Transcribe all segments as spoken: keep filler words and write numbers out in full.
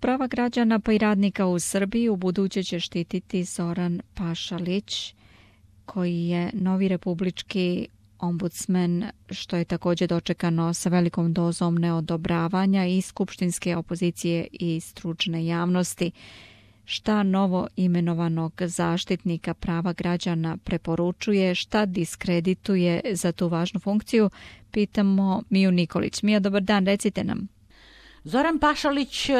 Prava građana pa i radnika u Srbiji u buduće će štititi Zoran Pašalić, koji je novi republički ombudsman, što je također dočekano sa velikom dozom neodobravanja i skupštinske opozicije i stručne javnosti. Šta novo imenovanog zaštitnika prava građana preporučuje, šta diskredituje za tu važnu funkciju, pitamo Miju Nikolić. Mija, dobar dan, recite nam. Zoran Pašalić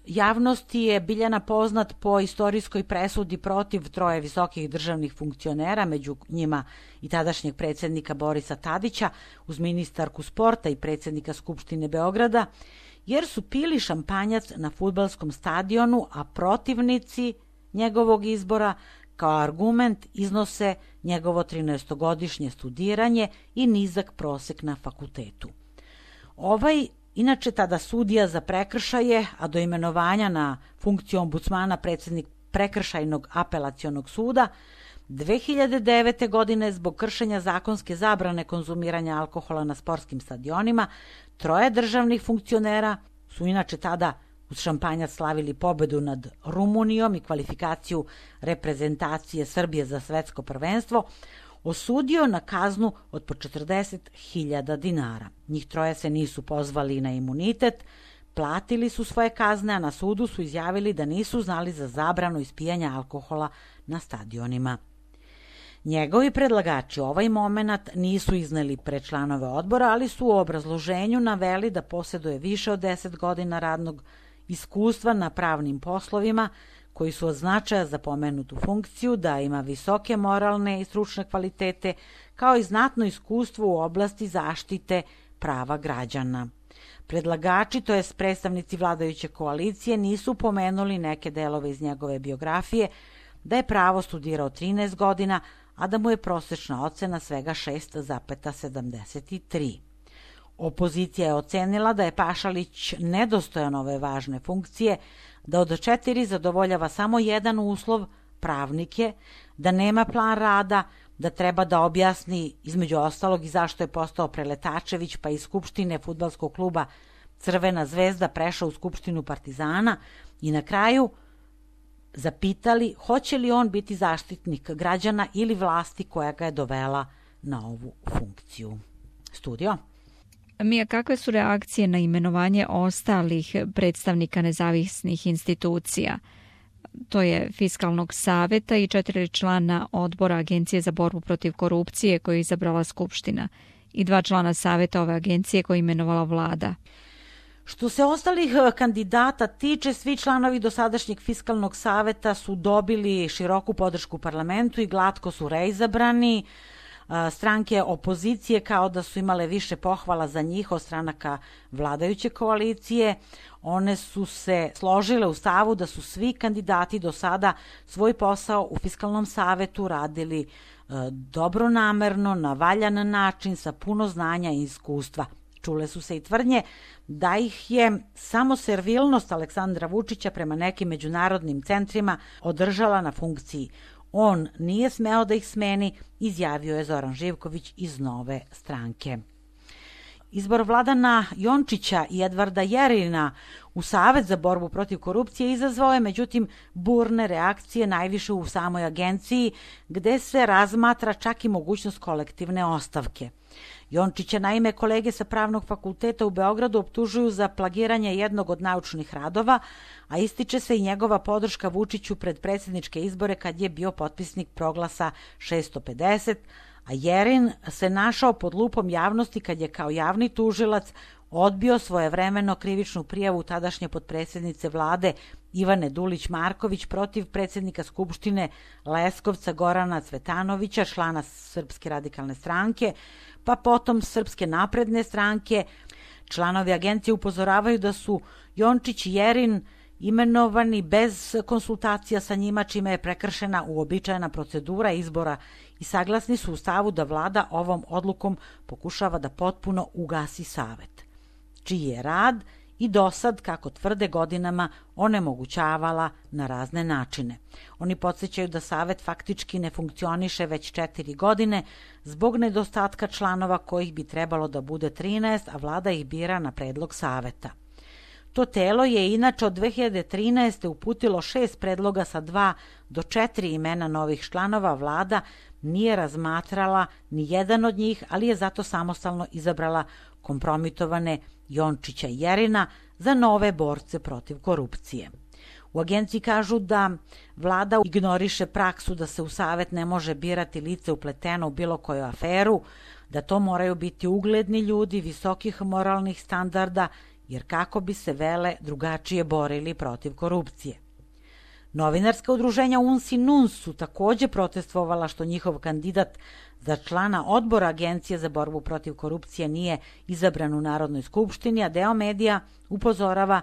javnosti je Biljana poznat po istorijskoj presudi protiv troje visokih državnih funkcionera, među njima i tadašnjeg predsjednika Borisa Tadića, uz ministarku sporta i predsjednika Skupštine Beograda, jer su pili šampanjac na fudbalskom stadionu, a protivnici njegovog izbora kao argument iznose njegovo trinaestogodišnje studiranje i nizak prosek na fakultetu. Ovaj, inače tada sudija za prekršaje, a do imenovanja na funkciju ombudsmana predsjednik Prekršajnog apelacionog suda, dve hiljade devete. godine zbog kršenja zakonske zabrane konzumiranja alkohola na sportskim stadionima, troje državnih funkcionera su inače tada uz šampanjac slavili pobedu nad Rumunijom i kvalifikaciju reprezentacije Srbije za svetsko prvenstvo, osudio na kaznu od po četrdeset hiljada dinara. Njih troje se nisu pozvali na imunitet, platili su svoje kazne, a na sudu su izjavili da nisu znali za zabranu ispijanja alkohola na stadionima. Njegovi predlagači ovaj moment nisu izneli pred članove odbora, ali su u obrazloženju naveli da posjeduje više od deset godina radnog iskustva na pravnim poslovima, koji su od značaja za pomenutu funkciju, da ima visoke moralne i stručne kvalitete, kao i znatno iskustvo u oblasti zaštite prava građana. Predlagači, to jest predstavnici vladajuće koalicije, nisu pomenuli neke delove iz njegove biografije, da je pravo studirao trinaest godina, a da mu je prosječna ocena svega šest zarez sedamdeset tri. Opozicija je ocenila da je Pašalić nedostojan ove važne funkcije, da od četiri zadovoljava samo jedan uslov, pravnik je, da nema plan rada, da treba da objasni između ostalog i zašto je postao Preletačević, pa iz Skupštine fudbalskog kluba Crvena zvezda prešao u Skupštinu Partizana, i na kraju zapitali hoće li on biti zaštitnik građana ili vlasti koja ga je dovela na ovu funkciju. Studio. Mija, kakve su reakcije na imenovanje ostalih predstavnika nezavisnih institucija? To je Fiskalnog saveta i četiri člana odbora Agencije za borbu protiv korupcije koju je izabrala Skupština i dva člana saveta ove agencije koju je imenovala vlada. Što se ostalih kandidata tiče, svi članovi dosadašnjeg Fiskalnog saveta su dobili široku podršku u parlamentu i glatko su reizabrani. Stranke opozicije kao da su imale više pohvala za njih od stranaka vladajuće koalicije. One su se složile u stavu da su svi kandidati do sada svoj posao u Fiskalnom savetu radili dobronamerno, na valjan način, sa puno znanja i iskustva. Čule su se i tvrdnje da ih je samo servilnost Aleksandra Vučića prema nekim međunarodnim centrima održala na funkciji. On nije smeo da ih smeni, izjavio je Zoran Živković iz Nove stranke. Izbor Vladana Jončića i Edvarda Jerina u Savet za borbu protiv korupcije izazvao je međutim burne reakcije najviše u samoj agenciji, gde se razmatra čak i mogućnost kolektivne ostavke. Jončića naime kolege sa Pravnog fakulteta u Beogradu optužuju za plagiranje jednog od naučnih radova, a ističe se i njegova podrška Vučiću pred predsjedničke izbore kad je bio potpisnik proglasa šesto pedeset, a Jerin se našao pod lupom javnosti kad je kao javni tužilac odbio svojevremeno krivičnu prijavu tadašnje potpredsjednice vlade Ivane Dulić-Marković protiv predsjednika Skupštine Leskovca Gorana Cvetanovića, člana Srpske radikalne stranke, pa potom Srpske napredne stranke. Članovi agencije upozoravaju da su Jončić i Jerin imenovani bez konsultacija sa njima, čime je prekršena uobičajena procedura izbora, i saglasni su u stavu da vlada ovom odlukom pokušava da potpuno ugasi savet, čiji je rad i dosad, kako tvrde, godinama onemogućavala na razne načine. Oni podsjećaju da savet faktički ne funkcioniše već četiri godine zbog nedostatka članova kojih bi trebalo da bude trinaest, a vlada ih bira na predlog saveta. To telo je inače od dve hiljade trinaeste. uputilo šest predloga sa dva do četiri imena novih članova. Vlada nije razmatrala ni jedan od njih, ali je zato samostalno izabrala kompromitovane Jončića i Jerina za nove borce protiv korupcije. U agenciji kažu da vlada ignoriše praksu da se u savet ne može birati lice upleteno u bilo koju aferu, da to moraju biti ugledni ljudi visokih moralnih standarda, jer kako bi se vele drugačije borili protiv korupcije. Novinarska udruženja U N S I N U N S su takođe protestvovala što njihov kandidat za člana odbora Agencije za borbu protiv korupcije nije izabran u Narodnoj skupštini, a deo medija upozorava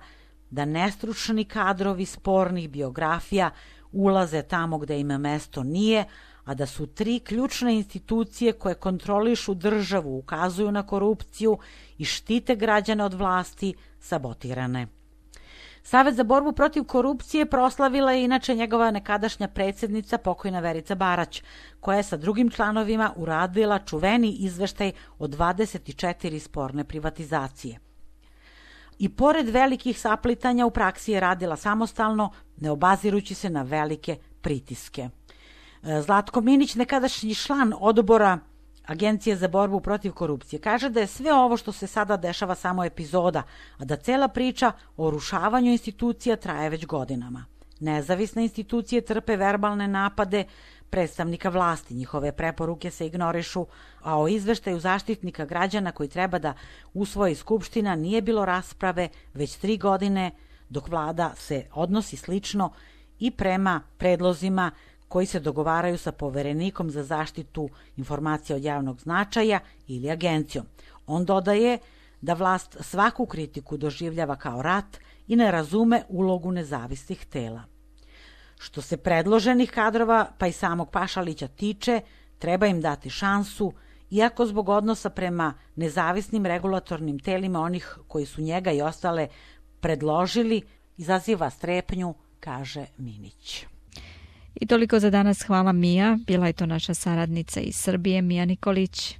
da nestručni kadrovi spornih biografija ulaze tamo gde ima mesto nije, a da su tri ključne institucije koje kontrolišu državu, ukazuju na korupciju i štite građane od vlasti sabotirane. Savet za borbu protiv korupcije proslavila je inače njegova nekadašnja predsjednica pokojna Verica Barać, koja je sa drugim članovima uradila čuveni izveštaj o dvadeset četiri sporne privatizacije. I pored velikih saplitanja u praksi je radila samostalno, ne obazirući se na velike pritiske. Zlatko Minić, nekadašnji član odbora Agencije za borbu protiv korupcije, kaže da je sve ovo što se sada dešava samo epizoda, a da cela priča o rušavanju institucija traje već godinama. Nezavisne institucije trpe verbalne napade predstavnika vlasti, njihove preporuke se ignorišu, a o izveštaju Zaštitnika građana koji treba da usvoji Skupština nije bilo rasprave već tri godine, dok vlada se odnosi slično i prema predlozima koji se dogovaraju sa Poverenikom za zaštitu informacija od javnog značaja ili agencijom. On dodaje da vlast svaku kritiku doživljava kao rat i ne razume ulogu nezavisnih tela. Što se predloženih kadrova, pa i samog Pašalića tiče, treba im dati šansu, iako zbog odnosa prema nezavisnim regulatornim telima onih koji su njega i ostale predložili, izaziva strepnju, kaže Minić. I toliko za danas. Hvala Mija. Bila je to naša saradnica iz Srbije, Mija Nikolić.